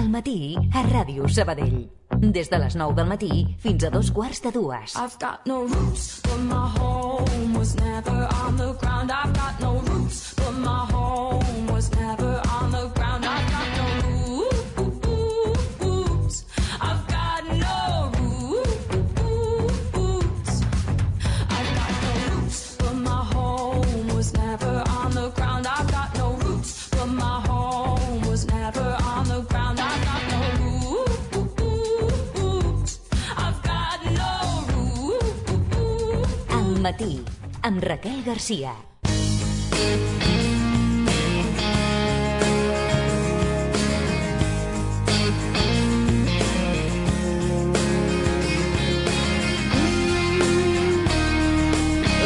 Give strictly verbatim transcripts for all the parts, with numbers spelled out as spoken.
Al matí, a Ràdio Sabadell. Des de les nou del matí fins a dos quarts de dues. I've got no roots, but my home was never on the ground. I've got no roots, but my home was never on the ground. I've got no roots. I've got no roots. I've got no roots, but my home was never on the ground. I've got no roots, but my home was never on the ground. I've got no roots. I've got no roots. Al matí, amb Raquel Garcia.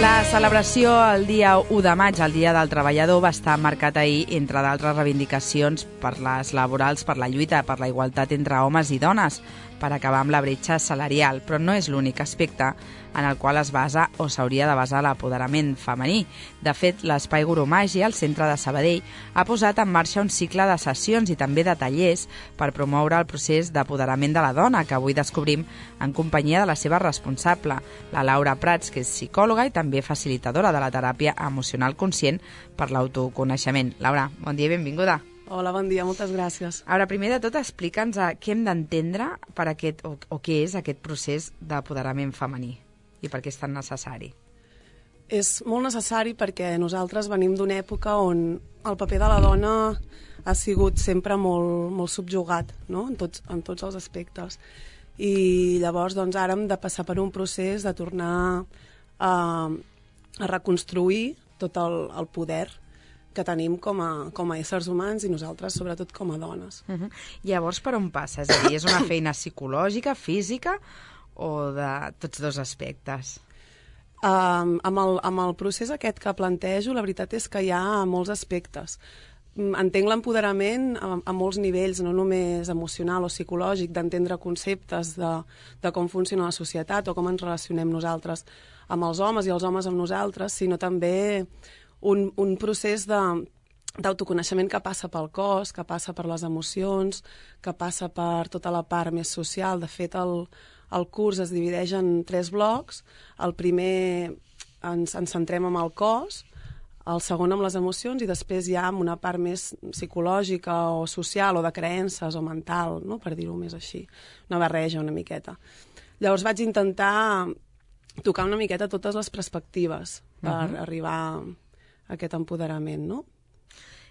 La celebració el dia u de maig, el Dia del Treballador, va estar marcat ahir, entre d'altres reivindicacions per les laborals, per la lluita per la igualtat entre homes i dones, per acabar amb la bretxa salarial, però no és l'únic aspecte en el qual es basa o s'hauria de basar l'apoderament femení. De fet, l'Espai Goromàgia, al centre de Sabadell, ha posat en marxa un cicle de sessions i també de tallers per promoure el procés d'apoderament de la dona, que avui descobrim en companyia de la seva responsable, la Laura Prats, que és psicòloga i també facilitadora de la teràpia emocional conscient per l'autoconeixement. Laura, bon dia i benvinguda. Hola, bon dia, moltes gràcies. Ara, primer de tot, explica'ns què hem d'entendre per aquest, o, o què és aquest procés d'apoderament femení i per què és tan necessari. És molt necessari perquè nosaltres venim d'una època on el paper de la dona ha sigut sempre molt, molt subjugat, no? en, tots, en tots els aspectes. I llavors doncs, ara hem de passar per un procés de tornar a, a reconstruir tot el, el poder que tenim com a, com a éssers humans i nosaltres, sobretot, com a dones. Uh -huh. Llavors, per on passa? És a dir, és una feina psicològica, física o de tots dos aspectes? Um, amb, el, amb el procés aquest que plantejo, la veritat és que hi ha molts aspectes. Entenc l'empoderament a, a molts nivells, no només emocional o psicològic, d'entendre conceptes de, de com funciona la societat o com ens relacionem nosaltres amb els homes i els homes amb nosaltres, sinó també un, un procés de, d'autoconeixement que passa pel cos, que passa per les emocions, que passa per tota la part més social. De fet, el, el curs es divideix en tres blocs. El primer ens, ens centrem en el cos, el segon amb les emocions i després ja amb una part més psicològica o social o de creences o mental, no? Per dir-ho més així, una barreja una miqueta. Llavors vaig intentar tocar una miqueta totes les perspectives per uh-huh. arribar a aquest empoderament, no?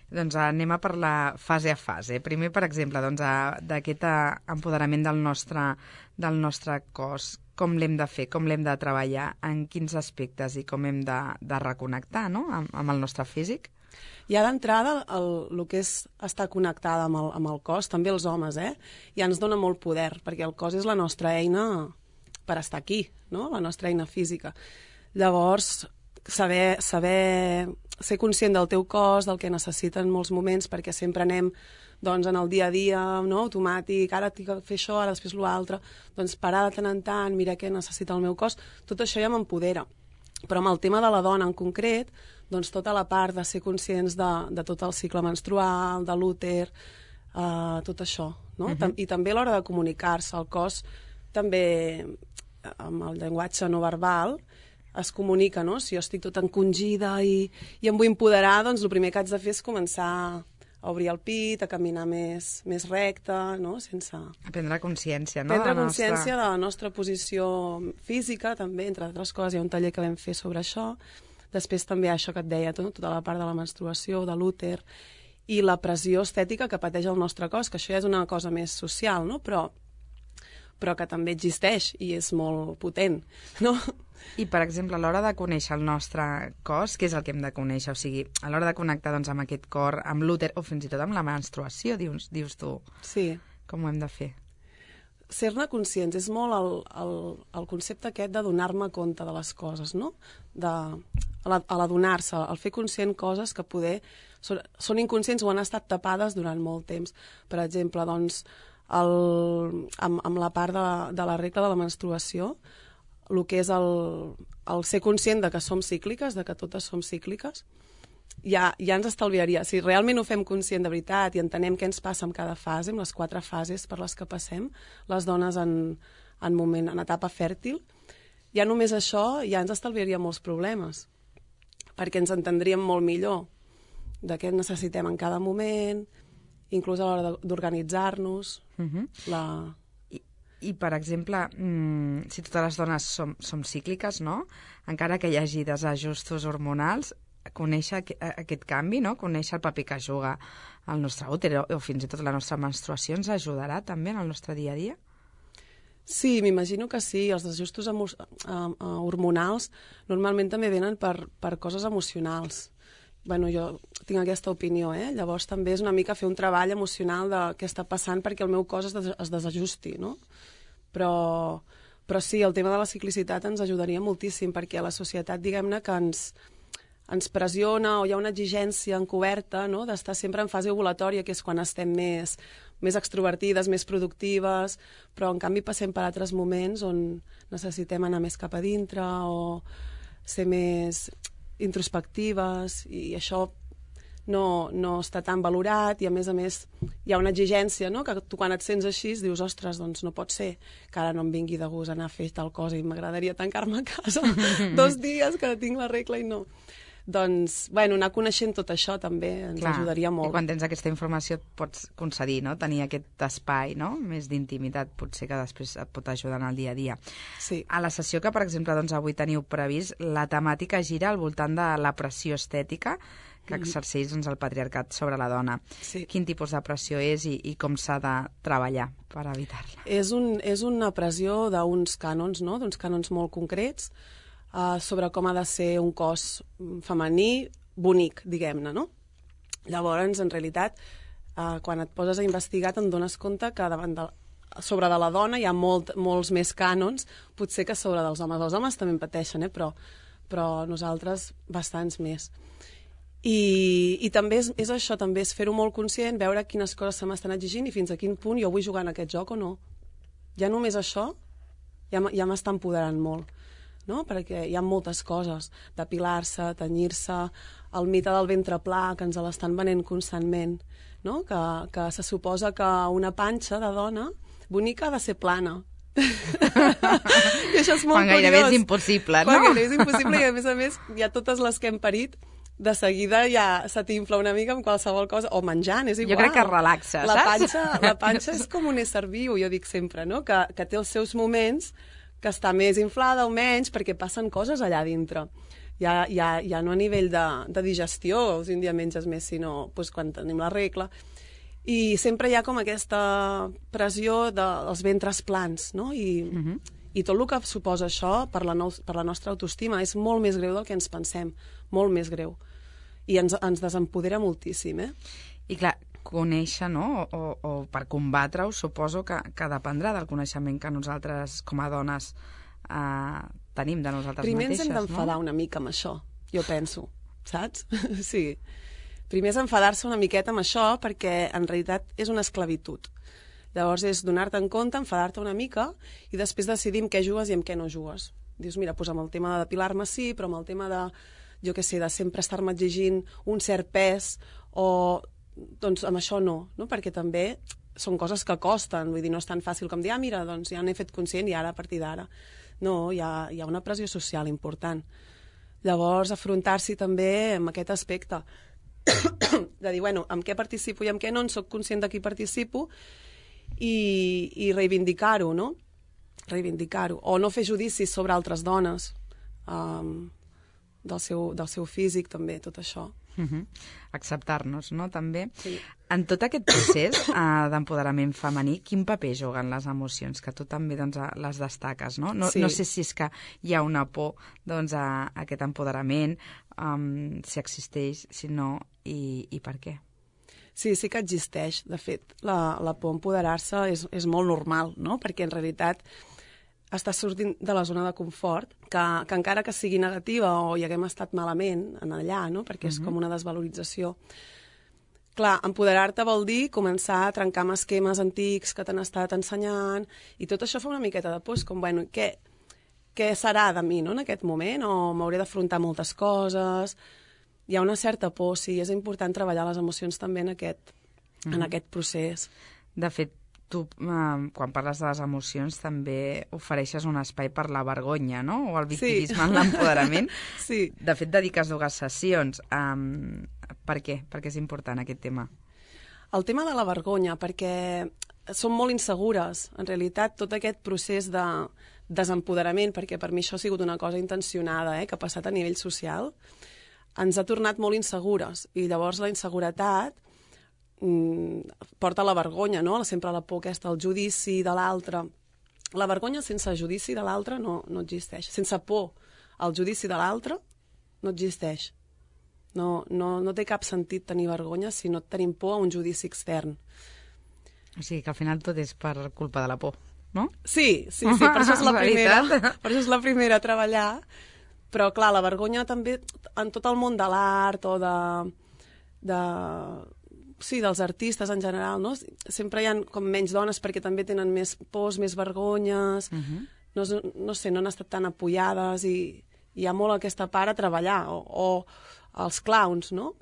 Doncs anem a per la fase a fase. Primer, per exemple, doncs, d'aquest empoderament del nostre, del nostre cos. Com l'hem de fer, com l'hem de treballar, en quins aspectes i com hem de, de reconnectar, no?, amb, amb el nostre físic? Ja d'entrada, el, el que és estar connectada amb el, amb el cos, també els homes, eh? ja ens dona molt poder, perquè el cos és la nostra eina per estar aquí, no?, la nostra eina física. Llavors, saber, saber ser conscient del teu cos, del que necessita en molts moments, perquè sempre anem doncs, en el dia a dia, no?, automàtic, ara tinc que fer això, ara després l'altre, doncs parar de tant en tant, mirar què necessita el meu cos, tot això ja m'empodera. Però amb el tema de la dona en concret, doncs tota la part de ser conscients de, de tot el cicle menstrual, de l'úter, uh, tot això, no? Uh-huh. I també a l'hora de comunicar-se, el cos també, amb el llenguatge no verbal, es comunica, no? Si jo estic tot encongida i, i em vull empoderar, doncs el primer que haig de fer és començar a obrir el pit, a caminar més, més recte, no? Sense... A prendre consciència, no? Prendre de consciència nostra... de la nostra posició física, també, entre altres coses. Hi ha un taller que vam fer sobre això. Després també això que et deia, tota la part de la menstruació, de l'úter, i la pressió estètica que pateix el nostre cos, que això ja és una cosa més social, no? Però, però que també existeix i és molt potent, no? I, per exemple, a l'hora de conèixer el nostre cos, què és el que hem de conèixer? O sigui, a l'hora de connectar doncs, amb aquest cor, amb l'úter, o fins i tot amb la menstruació, dius, dius tu. Sí. Com ho hem de fer? Ser-ne conscients és molt el, el, el concepte aquest de donar-me compte de les coses, no? De, a l'adonar-se, al fer conscient coses que poder són, són inconscients o han estat tapades durant molt temps. Per exemple, doncs, el, amb, amb la part de, de la regla de la menstruació, el que és el, el ser conscient de que som cícliques, de que totes som cícliques, ja, ja ens estalviaria. Si realment ho fem conscient de veritat i entenem què ens passa amb cada fase, amb les quatre fases per les que passem, les dones en, en, moment, en etapa fèrtil, ja només això ja ens estalviaria molts problemes, perquè ens entendríem molt millor de què necessitem en cada moment, inclús a l'hora d'organitzar-nos. Uh-huh. la... I, I, per exemple, mmm, si totes les dones som, som cícliques, no? Encara que hi hagi desajustos hormonals, conèixer aquest canvi, no? Conèixer el paper que juga el nostre úter o fins i tot la nostra menstruació ens ajudarà també en el nostre dia a dia? Sí, m'imagino que sí. Els desajustos emo- hormonals normalment també venen per, per coses emocionals. Bueno, jo tinc aquesta opinió, eh? Llavors també és una mica fer un treball emocional de què està passant perquè el meu cos es, des es desajusti, no? Però, però sí, el tema de la ciclicitat ens ajudaria moltíssim perquè la societat, diguem-ne, que ens, ens pressiona o hi ha una exigència encoberta, no?, d'estar sempre en fase ovulatòria, que és quan estem més, més extrovertides, més productives, però en canvi passem per altres moments on necessitem anar més cap a dintre o ser més introspectives, i això no, no està tan valorat, i a més a més hi ha una exigència, no?, que tu quan et sents així dius, ostres, doncs no pot ser que ara no em vingui de gust anar a fer tal cosa i m'agradaria tancar-me a casa dos dies que tinc la regla i no. Doncs, bueno, anar coneixent tot això també ens Clar, ajudaria molt. I quan tens aquesta informació et pots concedir, no?, tenir aquest espai, no?, més d'intimitat, potser que després et pot ajudar en el dia a dia. Sí. A la sessió que, per exemple, doncs, avui teniu previst, la temàtica gira al voltant de la pressió estètica que exerceix doncs, el patriarcat sobre la dona. Sí. Quin tipus de pressió és i, i com s'ha de treballar per evitar-la? És, un, és una pressió d'uns cànons, no?, d'uns cànons molt concrets, Uh, sobre com ha de ser un cos femení bonic, diguem-ne, no? Llavors, en realitat, uh, quan et poses a investigar te'n dones compte que davant de, sobre de la dona hi ha molt, molts més cànons, potser que sobre dels homes. Els homes també en pateixen, eh? però, però nosaltres bastants més. I, i també és, és això, també és fer-ho molt conscient, veure quines coses se m'estan exigint i fins a quin punt jo vull jugar en aquest joc o no. Ja només això ja, ja m'està empoderant molt. No? Perquè hi ha moltes coses, depilar-se, tenyir-se, el mite del ventre pla, que ens l'estan venent constantment, no? que, que se suposa que una panxa de dona bonica ha de ser plana. I això és molt Quan gairebé curiós. és impossible, no? Quan gairebé és impossible i, a més a més, hi ha totes les que hem parit, de seguida ja se t'infla una mica amb qualsevol cosa, o menjant, és igual. Jo crec que relaxa, la saps? panxa, la panxa és com un ésser viu, jo dic sempre, no? que, que té els seus moments que està més inflada o menys, perquè passen coses allà dintre. Ja, ja, ja no a nivell de, de digestió, si un dia menges més, sinó doncs, quan tenim la regla. I sempre hi ha com aquesta pressió de, dels ventres plans, no? I, uh-huh. i tot el que suposa això per la, no, per la nostra autoestima és molt més greu del que ens pensem, molt més greu. I ens, ens desempodera moltíssim, eh? I clar, conèixer, no?, o, o per combatre-ho, suposo que, que dependrà del coneixement que nosaltres, com a dones, eh, tenim de nosaltres Primer mateixes, ens hem d'enfadar no? una mica amb això, jo penso, saps? Sí. Primer és enfadar-se una miqueta amb això, perquè en realitat és una esclavitud. Llavors és donar-te en compte, enfadar-te una mica, i després decidir amb què jugues i amb què no jugues. Dius, mira, doncs amb el tema de depilar-me sí, però amb el tema de, jo què sé, de sempre estar-me exigint un cert pes, o doncs amb això no, no? Perquè també són coses que costen, vull dir, no és tan fàcil com dir, ah, mira, doncs ja n'he fet conscient i ara, a partir d'ara. No, hi ha, hi ha una pressió social important. Llavors, afrontar-s'hi també amb aquest aspecte de dir, bueno, amb què participo i amb què no, en soc conscient de qui participo i, i reivindicar-ho, no? Reivindicar-ho. O no fer judicis sobre altres dones, um, del seu, del seu físic, també, tot això. Uh-huh. Acceptar-nos, no?, també. Sí. En tot aquest procés uh, d'empoderament femení, quin paper juguen les emocions? Que tu també doncs, les destaques, no? No, Sí. no sé si és que hi ha una por doncs, a, a aquest empoderament, um, si existeix, si no, i, i per què? Sí, sí que existeix. De fet, la, la por a empoderar-se és, és molt normal, no? Perquè en realitat està sortint de la zona de confort, que, que encara que sigui negativa o hi haguem estat malament en allà, no? Perquè és Mhm. com una desvalorització. Clar, empoderar-te vol dir començar a trencar amb esquemes antics que t'han estat ensenyant, i tot això fa una miqueta de por, és com, bueno, què, què serà de mi, no?, en aquest moment, o m'hauré d'afrontar moltes coses. hi ha una certa por, sí, és important treballar les emocions també en aquest, mm. en aquest procés. De fet, tu, eh, quan parles de les emocions, també ofereixes un espai per la vergonya, no? O el victimisme sí. en l'empoderament. Sí. De fet, dediques dues sessions. Um, per què? Per què és important aquest tema? El tema de la vergonya, perquè som molt insegures. En realitat, tot aquest procés de desempoderament, perquè per mi això ha sigut una cosa intencionada, eh, que ha passat a nivell social, ens ha tornat molt insegures. I llavors la inseguretat mm, porta la vergonya, no? Sempre la por aquesta, el judici de l'altre. La vergonya sense judici de l'altre no, no existeix. Sense por al judici de l'altre no existeix. No, no, no té cap sentit tenir vergonya si no tenim por a un judici extern. O sigui que al final tot és per culpa de la por, no? Sí, sí, sí, per això és la primera, per això és la primera a treballar. Però, clar, la vergonya també en tot el món de l'art o de, de... sí, dels artistes en general, no? Sempre hi ha com menys dones perquè també tenen més pors, més vergonyes, uh-huh. no, no sé, no han estat tan apoyades i hi ha molt aquesta part a treballar. O, o els clowns, no?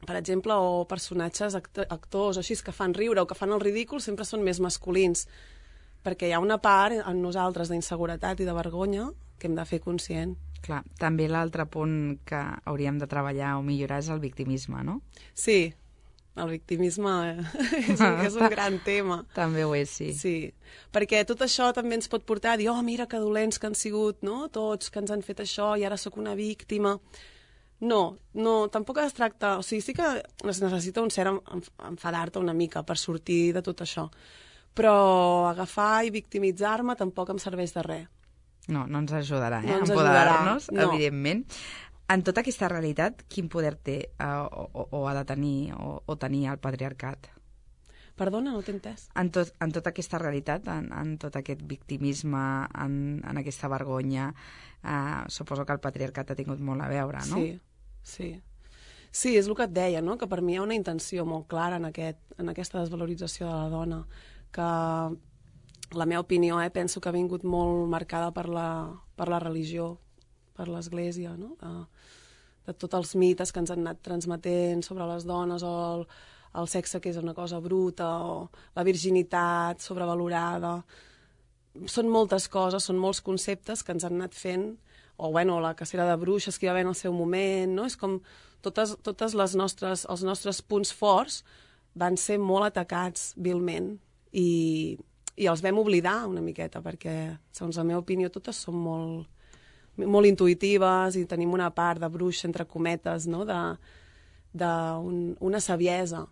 Per exemple, o personatges act actors o així que fan riure o que fan el ridícul sempre són més masculins, perquè hi ha una part en nosaltres d'inseguretat i de vergonya que hem de fer conscient. Clar, també l'altre punt que hauríem de treballar o millorar és el victimisme, no? Sí, el victimisme és un, és un gran tema. També ho és, sí. Sí, perquè tot això també ens pot portar a dir, oh, mira que dolents que han sigut, no? Tots que ens han fet això i ara sóc una víctima. No, no, tampoc es tracta... O sigui, sí que es necessita un cert enfadar-te una mica per sortir de tot això, però agafar i victimitzar-me tampoc em serveix de res. No, no ens ajudarà, eh? No ens empoderar-nos, no. evidentment. En tota aquesta realitat, quin poder té uh, o, o ha de tenir o, o tenir el patriarcat? Perdona, no t'he entès. En, tot, en tota aquesta realitat, en, en tot aquest victimisme, en, en aquesta vergonya, uh, suposo que el patriarcat ha tingut molt a veure, no? Sí, sí. Sí, és el que et deia, no? Que per mi hi ha una intenció molt clara en, aquest, en aquesta desvalorització de la dona, que la meva opinió, eh, penso que ha vingut molt marcada per la, per la religió, per l'Església, no? De, de tots els mites que ens han anat transmetent sobre les dones, o el, el sexe que és una cosa bruta, o la virginitat sobrevalorada. Són moltes coses, són molts conceptes que ens han anat fent, o bueno, la cacera de bruixes que hi va haver en el seu moment, no? És com totes, totes les nostres, els nostres punts forts van ser molt atacats vilment i, i els vam oblidar una miqueta, perquè, segons la meva opinió, totes són molt molt intuïtives i tenim una part de bruixa, entre cometes, no? de, de un, una saviesa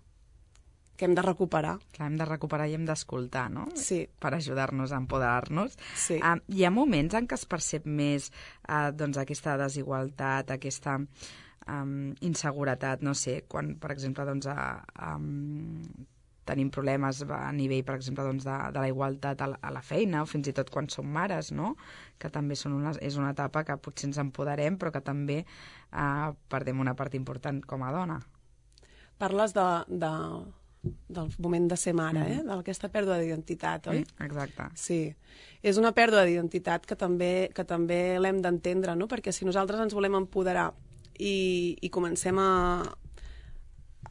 que hem de recuperar. Clar, hem de recuperar i hem d'escoltar, no? Sí. Per ajudar-nos a empoderar-nos. Sí. Uh, hi ha moments en què es percep més uh, doncs, aquesta desigualtat, aquesta um, inseguretat, no sé, quan, per exemple, doncs, uh, um, tenim problemes a nivell, per exemple, doncs, de, de la igualtat a la, a la feina, o fins i tot quan som mares, no? Que també són una, és una etapa que potser ens empoderem, però que també eh, perdem una part important com a dona. Parles de, de, del moment de ser mare, mm. eh? D'aquesta pèrdua d'identitat, oi? Mm, exacte. Sí. És una pèrdua d'identitat que també, que també l'hem d'entendre, no? Perquè si nosaltres ens volem empoderar i, i comencem a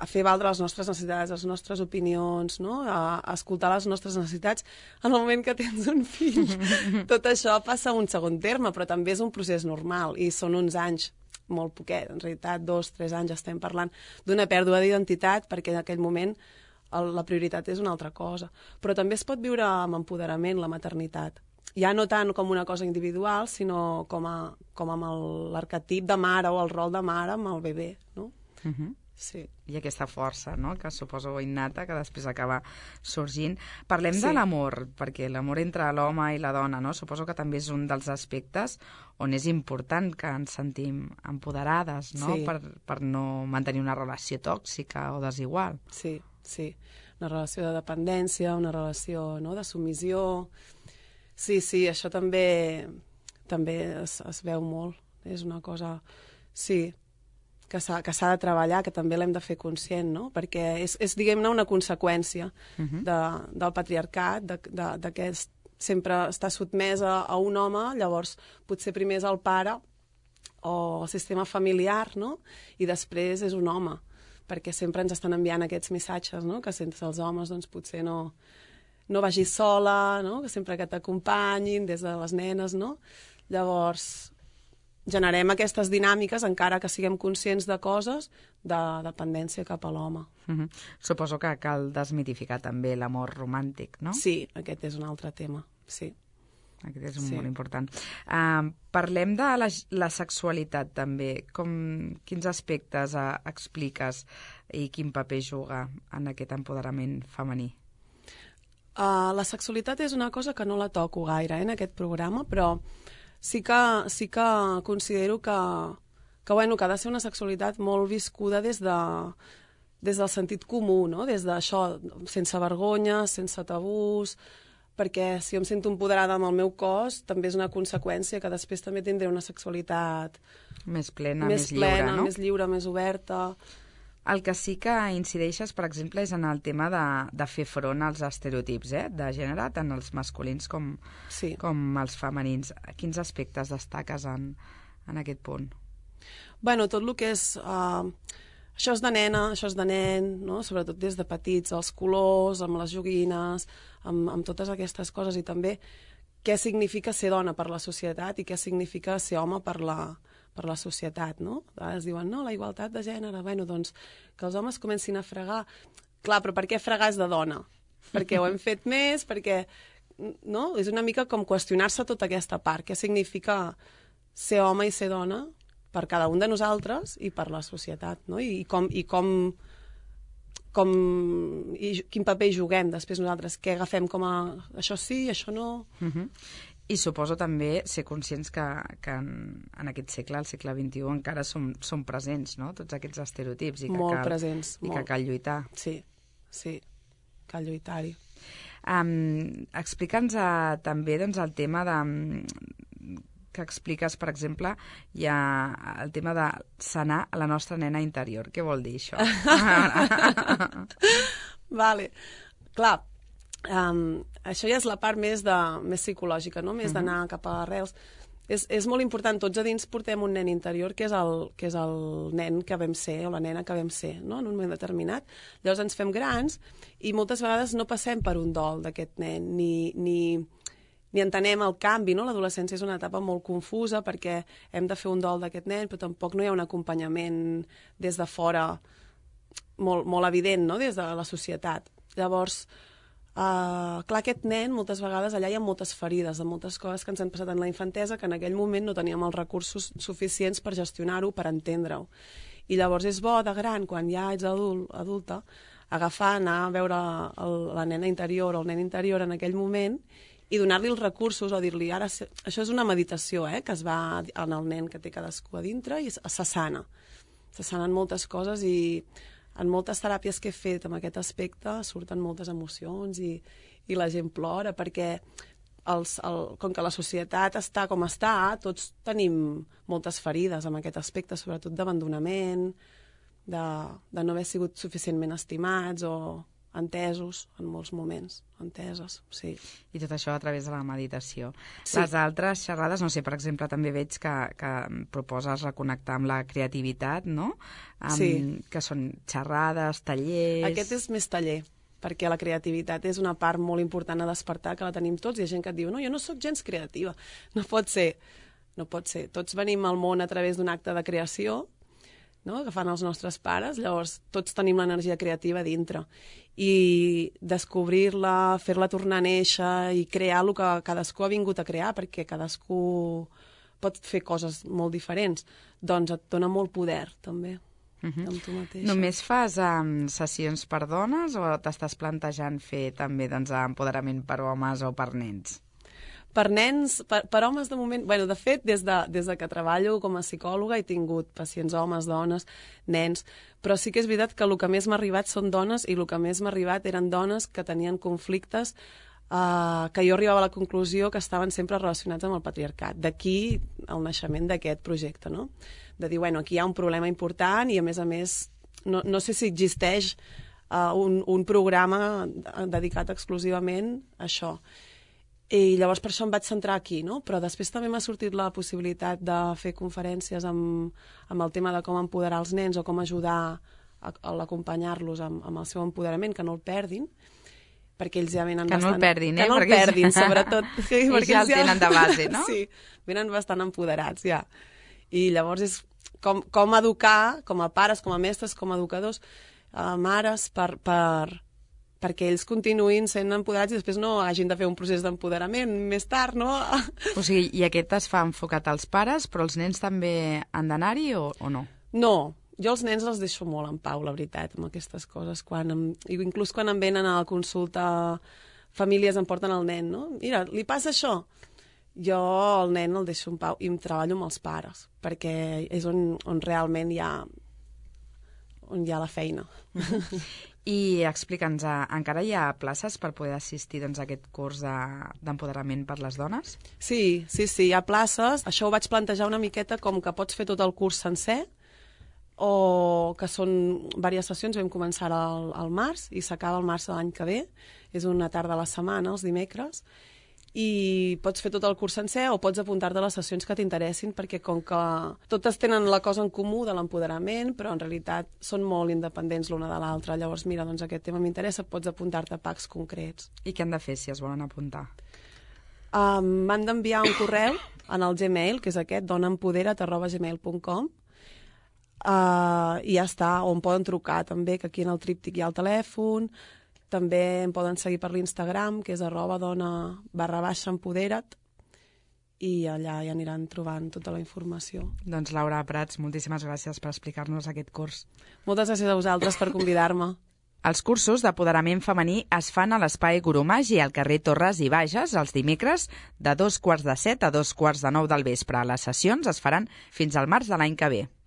a fer valdre les nostres necessitats, les nostres opinions, no? a, a escoltar les nostres necessitats en el moment que tens un fill. Tot això passa a un segon terme, però també és un procés normal i són uns anys, molt poquet, en realitat dos, tres anys estem parlant d'una pèrdua d'identitat perquè en aquell moment el, la prioritat és una altra cosa. Però també es pot viure amb empoderament la maternitat. Ja no tant com una cosa individual, sinó com, a, com amb l'arquetip de mare o el rol de mare amb el bebè, no? Uh -huh. Sí. I aquesta força, no?, que suposo innata, que després acaba sorgint. Parlem sí. de l'amor, perquè l'amor entre l'home i la dona, no?, suposo que també és un dels aspectes on és important que ens sentim empoderades, no?, sí. per, per no mantenir una relació tòxica o desigual. Sí, sí. Una relació de dependència, una relació, no?, de submissió. Sí, sí, això també, també es, es veu molt. És una cosa... Sí, que s'ha de treballar, que també l'hem de fer conscient, no? Perquè és, és diguem-ne, una conseqüència uh-huh. de, del patriarcat, de, de, de que sempre està sotmesa a un home, llavors potser primer és el pare o sistema familiar, no? I després és un home, perquè sempre ens estan enviant aquests missatges, no? Que sense els homes doncs, potser no, no vagis sola, no? Que sempre que t'acompanyin, des de les nenes, no? Llavors, generem aquestes dinàmiques, encara que siguem conscients de coses, de dependència cap a l'home. Mm-hmm. Suposo que cal desmitificar també l'amor romàntic, no? Sí, aquest és un altre tema, sí. Aquest és un Sí. molt important. Uh, parlem de la, la sexualitat, també. Com, quins aspectes uh, expliques i quin paper juga en aquest empoderament femení? Uh, la sexualitat és una cosa que no la toco gaire eh, en aquest programa, però sí que, sí que considero que, que, bueno, que ha de ser una sexualitat molt viscuda des, de, des del sentit comú, no? Des d'això, sense vergonya, sense tabús, perquè si jo em sento empoderada amb el meu cos, també és una conseqüència que després també tindré una sexualitat Més plena, més, més lliure, plena, no? més lliure, més oberta. El que sí que incideixes, per exemple, és en el tema de, de fer front als estereotips eh, de gènere, tant els masculins com, Sí. com els femenins. Quins aspectes destaques en, en aquest punt? Bueno, tot el que és... Uh, això és de nena, això és de nen, no? Sobretot des de petits, els colors, amb les joguines, amb, amb totes aquestes coses, i també què significa ser dona per la societat i què significa ser home per la, per la societat, no? A vegades diuen, no, la igualtat de gènere, bueno, doncs que els homes comencin a fregar. Clar, però per què fregar és de dona? Perquè ho hem fet més, perquè... No? És una mica com qüestionar-se tota aquesta part. Què significa ser home i ser dona per cada un de nosaltres i per la societat, no? I, i com... I com com i quin paper juguem després nosaltres, què agafem com a això sí, això no... Uh-huh. I suposo també ser conscients que, que en, en aquest segle, al segle vint-i-u, encara som, som presents, no?, tots aquests estereotips. I que molt cal, presents, I molt. que cal lluitar. Sí, sí, cal lluitar-hi. Um, Explica'ns uh, també doncs, el tema de... que expliques, per exemple, hi ha el tema de sanar a la nostra nena interior. Què vol dir això? Vale. Clar, um, això ja és la part més, de, més psicològica, no? Més d'anar cap a arrels. És, és molt important, tots a dins portem un nen interior que és, el, que és el nen que vam ser o la nena que vam ser, no? En un moment determinat. Llavors ens fem grans i moltes vegades no passem per un dol d'aquest nen, ni... ni ni entenem el canvi, no? L'adolescència és una etapa molt confusa perquè hem de fer un dol d'aquest nen, però tampoc no hi ha un acompanyament des de fora molt, molt evident, no? Des de la societat. Llavors, uh, clar, aquest nen, moltes vegades, allà hi ha moltes ferides, de moltes coses que ens han passat en la infantesa que en aquell moment no teníem els recursos suficients per gestionar-ho, per entendre-ho. I llavors és bo, de gran, quan ja ets adult, adulta, agafar, anar a veure el, la nena interior o el nen interior en aquell moment i donar-li els recursos o dir-li, ara, això és una meditació, eh, que es va en el nen que té cadascú a dintre i se sana. Se sanen moltes coses i en moltes teràpies que he fet en aquest aspecte surten moltes emocions i, i la gent plora perquè els, el, com que la societat està com està, tots tenim moltes ferides en aquest aspecte, sobretot d'abandonament, de, de no haver sigut suficientment estimats o entesos en molts moments, enteses, sí. I tot això a través de la meditació. Sí. Les altres xerrades, no sé, per exemple, també veig que, que proposes reconnectar amb la creativitat, no? Amb, Sí. Que són xerrades, tallers... Aquest és més taller, perquè la creativitat és una part molt important a despertar, que la tenim tots, i hi ha gent que et diu, no, jo no sóc gens creativa. No pot ser, no pot ser. Tots venim al món a través d'un acte de creació, no? Que fan els nostres pares, llavors tots tenim l'energia creativa dintre. I descobrir-la, fer-la tornar a néixer i crear el que cadascú ha vingut a crear, perquè cadascú pot fer coses molt diferents, doncs et dona molt poder, també, Uh-huh. amb tu mateixa. Només fas um, sessions per dones o t'estàs plantejant fer també doncs, empoderament per homes o per nens? Per nens, per, per homes de moment... Bueno, de fet, des de, des de que treballo com a psicòloga he tingut pacients homes, dones, nens, però sí que és veritat que el que més m'ha arribat són dones i el que més m'ha arribat eren dones que tenien conflictes eh, que jo arribava a la conclusió que estaven sempre relacionats amb el patriarcat. D'aquí el naixement d'aquest projecte, no? De dir, bueno, aquí hi ha un problema important i, a més a més, no, no sé si existeix uh, un, un programa dedicat exclusivament a això. I llavors per això em vaig centrar aquí, no? Però després també m'ha sortit la possibilitat de fer conferències amb, amb el tema de com empoderar els nens o com ajudar a, a l'acompanyar-los amb, amb el seu empoderament, que no el perdin, perquè ells ja venen que bastant... no el perdin, eh? Que no el perquè perdin, sobretot. Sí, ells ja el tenen de base, no? Sí, venen bastant empoderats, ja. I llavors és com, com educar, com a pares, com a mestres, com a educadors, a mares, per... per perquè ells continuïn sent empoderats i després no hagin de fer un procés d'empoderament més tard, no? O sigui, i aquest es fa enfocat als pares, però els nens també han d'anar-hi o, o no? No, jo els nens els deixo molt en pau, la veritat, amb aquestes coses. Quan em, inclús quan em venen a la consulta, famílies em porten el nen, no? Mira, li passa això. Jo el nen el deixo en pau i em treballo amb els pares, perquè és on, on realment hi ha, on hi ha la feina. I explica'ns, encara hi ha places per poder assistir doncs, a aquest curs d'empoderament per les dones? Sí, sí, sí, hi ha places. Això ho vaig plantejar una miqueta com que pots fer tot el curs sencer o que són diverses sessions. Vam començar al, al març i s'acaba el març de l'any que ve. És una tarda a la setmana, els dimecres. I pots fer tot el curs sencer o pots apuntar-te a les sessions que t'interessin, perquè com que totes tenen la cosa en comú de l'empoderament, però en realitat són molt independents l'una de l'altra. Llavors, mira, doncs aquest tema m'interessa, pots apuntar-te a packs concrets. I què han de fer si es volen apuntar? Um, M'han d'enviar un correu en el Gmail, que és aquest, donaempodera't arroba gmail punt com, uh, i ja està, o em poden trucar també, que aquí en el tríptic hi ha el telèfon. També em poden seguir per l'Instagram, que és arroba dona barra baixa empodera't, i allà ja aniran trobant tota la informació. Doncs Laura Prats, moltíssimes gràcies per explicar-nos aquest curs. Moltes gràcies a vosaltres per convidar-me. Els cursos d'apoderament femení es fan a l'Espai Goromagi al carrer Torres i Bages els dimecres de dos quarts de set a dos quarts de nou del vespre. Les sessions es faran fins al març de l'any que ve.